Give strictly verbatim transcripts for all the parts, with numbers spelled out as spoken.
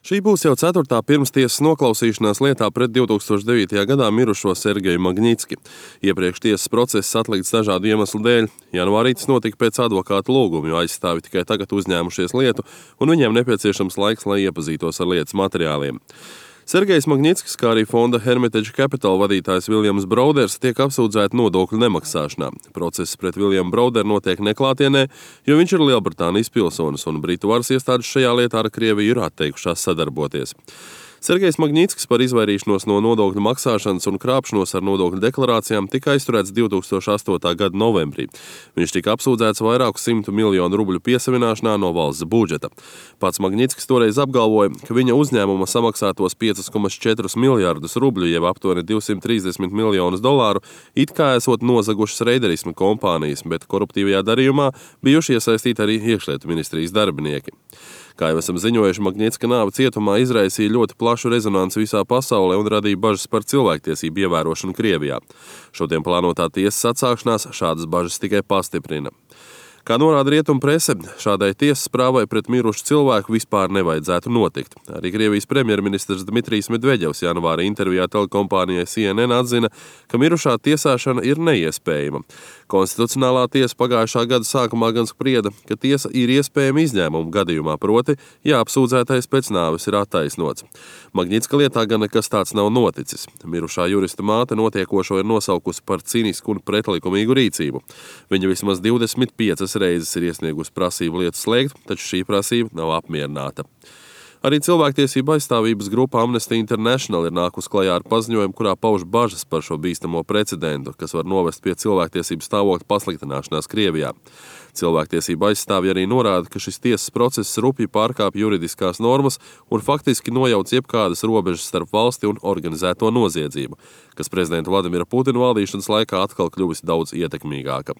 Šī būs jau ceturtā pirmstiesas noklausīšanās lietā pret divtūkstoš devītajā gadā mirušo Sergeju Magnitski. Iepriekš tiesas process atlikts dažādu iemeslu dēļ. Janvārī tas notika pēc advokāta lūguma, jo aizstāvi tikai tagad uzņēmušies lietu, un viņiem nepieciešams laiks, lai iepazītos ar lietas materiāliem. Sergejs Magnitskis, kā arī fonda Hermitage Capital vadītājs Viljams Broders, tiek apsūdzēti nodokļu nemaksāšanā. Process pret Viljamu Broderu notiek neklātienē, jo viņš ir Lielbritānijas pilsonis, un Britu varas iestādes šajā lietā ar Krieviju ir atteikušās sadarboties. Sergejs Magnitskis par izvairīšanos no nodokļu maksāšanas un krāpšanos ar nodokļu deklarācijām tika aizturēts divtūkstoš astotā gada novembrī. Viņš tika apsūdzēts vairāku simtu miljonu rubļu piesavināšanā no valsts budžeta. Pats Magnitskis toreiz apgalvoja, ka viņa uzņēmuma samaksātos piecus komats četrus miljardus rubļu, jeb aptuveni divsimt trīsdesmit miljonus dolāru, it kā esot nozagušas reiderisma kompānijas, bet koruptīvajā darījumā bijuši iesaistīti arī iekšlietu ministrijas darbinieki. Kā jau esam ziņojuši, Magnitska nāve cietumā izraisīja ļoti plašu rezonanci visā pasaulē un radīja bažas par cilvēktiesību ievērošanu Krievijā. Šodien plānotā tiesas atsākšanās šādas bažas tikai pastiprina. Kā norāda rietumu prese, šādai tiesas prāvai pret mirušu cilvēku vispār nevajadzētu notikt. Arī Krievijas premjerministrs Dmitrijs Medveģevs janvāra intervijā telekompānijai C N N atzina, ka mirušā tiesāšana ir neiespējama. Konstitucionālā tiesa pagājušā gada sākumā gan sprieda, ka tiesa ir iespējama izņēmuma gadījumā, proti, ja apsūdzētais pēc nāves ir attaisnots. Magnitska lietā gan nekas tāds nav noticis. Mirušā jurista māte notiekošo ir nosaukusi par cinisku un pretlikumīgu rīcību. Viņa vismaz divdesmit piecas reizes ir iesniegusi prasību lietu slēgt, taču šī prasība nav apmierināta. Arī cilvēktiesība aizstāvības grupa Amnesty International ir nākus klajā ar paziņojumu, kurā pauž bažas par šo bīstamo precedentu, kas var novest pie cilvēktiesību stāvokļa pasliktināšanās Krievijā. Cilvēktiesība aizstāvji arī norāda, ka šis tiesas process rupji pārkāpj juridiskās normas un faktiski nojauc jebkādas robežas starp valsti un organizēto noziedzību, kas prezidenta Vladimira Putina valdīšanas laikā atkal kļuvusi daudz ietekmīgāka.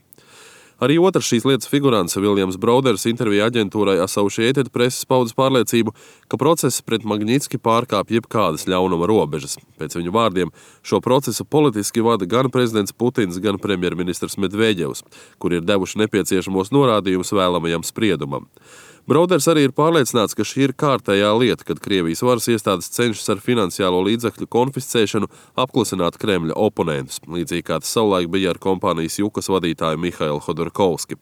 Arī otrs šīs lietas figurants, Viljams Broders, intervijā aģentūrai Associated Press paudis pārliecību, ka process pret Magnitski pārkāpj jebkādas ļaunuma robežas. Pēc viņu vārdiem šo procesu politiski vada gan prezidents Putins, gan premjerministrs Medveģevs, kur ir devuši nepieciešamos norādījumus vēlamajam spriedumam. Broders arī ir pārliecināts, ka šī ir kārtējā lieta, kad Krievijas varas iestādes cenšas ar finansiālo līdzekļu konfiscēšanu apklusināt Kremļa oponentus, līdzīgi kā tas savulaik bija ar kompānijas Jukas vadītāju Mihailu Hodorkovski.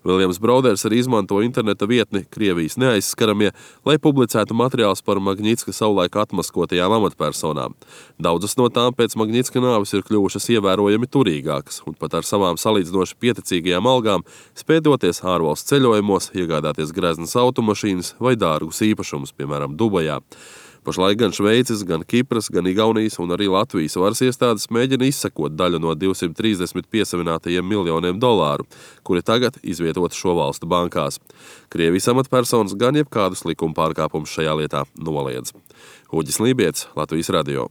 Viljams Broders arī izmanto interneta vietni Krievijas neaizskaramie, lai publicētu materiālus par Magnitska savulaik atmaskotajām amatpersonām. Daudzas no tām pēc Magnitska nāves ir kļuvušas ievērojami turīgākas, un pat ar savām salīdzinoši pieticīgajām algām spēj doties ārvalstu ceļojumos, iegādāties greznas automašīnas vai dārgus īpašumus, piemēram, Dubajā. Pašlaik gan Šveices, gan Kipras, gan Igaunijas un arī Latvijas varas iestādes mēģina izsekot daļu no divsimt trīsdesmit piesavinātajiem miljoniem dolāru, kuri tagad izvietot šo valstu bankās. Krievijas amatpersonas gan jebkādus likuma pārkāpumus šajā lietā noliedz. Uģis Lībietis, Latvijas radio.